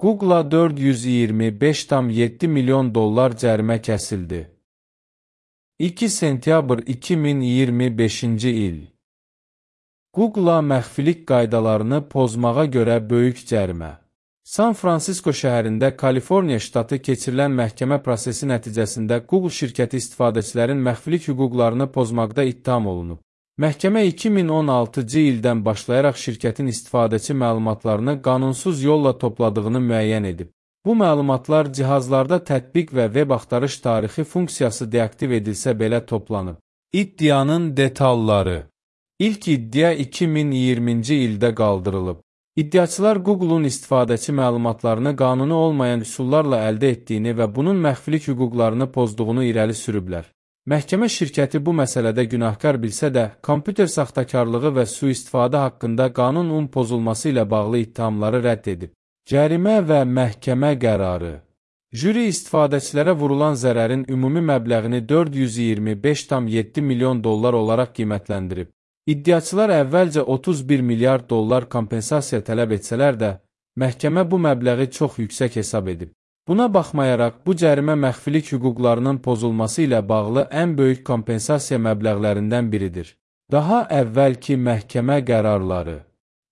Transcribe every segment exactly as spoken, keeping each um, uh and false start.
Google'a dörd yüz iyirmi beş tam yeddi milyon dollar cərimə kəsildi. iki sentyabr iki min iyirmi beşinci il. Google'a məxfilik qaydalarını pozmağa görə böyük cərimə. San Fransisko şəhərində Kaliforniya ştatı keçirilən məhkəmə prosesi nəticəsində Google şirkəti istifadəçilərin məxfilik hüquqlarını pozmaqda ittiham olunub. Məhkəmə iki min on altıncı ildən başlayaraq şirkətin istifadəçi məlumatlarını qanunsuz yolla topladığını müəyyən edib. Bu məlumatlar cihazlarda tətbiq və web axtarış tarixi funksiyası deaktiv edilsə belə toplanıb. İddianın detalları. İlk iddia iki min iyirminci ildə qaldırılıb. İddiaçılar Google'un istifadəçi məlumatlarını qanuni olmayan üsullarla əldə etdiyini və bunun məxfilik hüquqlarını pozduğunu irəli sürüblər. Məhkəmə şirkəti bu məsələdə günahkar bilsə də, kompüter saxtakarlığı və sui-istifadə haqqında qanunun pozulması ilə bağlı ittihamları rədd edib. Cərimə və məhkəmə qərarı. Jüri istifadəçilərə vurulan zərərin ümumi məbləğini dörd yüz iyirmi beş tam yeddi milyon dollar olaraq qiymətləndirib. İddiaçılar əvvəlcə otuz bir milyard dollar kompensasiya tələb etsələr də, məhkəmə bu məbləği çox yüksək hesab edib. Buna baxmayaraq, bu cərimə məxfilik hüquqlarının pozulması ilə bağlı ən böyük kompensasiya məbləğlərindən biridir. Daha əvvəlki məhkəmə qərarları.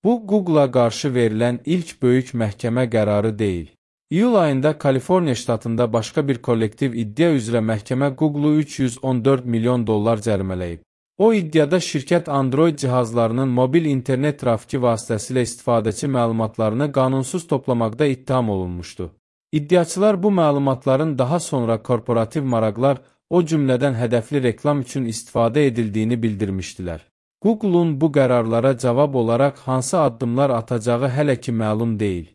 Bu, Google'a qarşı verilən ilk böyük məhkəmə qərarı deyil. İyul ayında Kaliforniya ştatında başqa bir kollektiv iddia üzrə məhkəmə Google'u üç yüz on dörd milyon dollar cərimələyib. O iddiada şirkət Android cihazlarının mobil internet trafiki vasitəsilə istifadəçi məlumatlarını qanunsuz toplamaqda ittiham olunmuşdu. İddiaçılar bu məlumatların daha sonra korporativ maraqlar, o cümlədən hədəfli reklam üçün istifadə edildiyini bildirmişdilər. Google'un bu qərarlara cavab olaraq hansı addımlar atacağı hələ ki məlum deyil.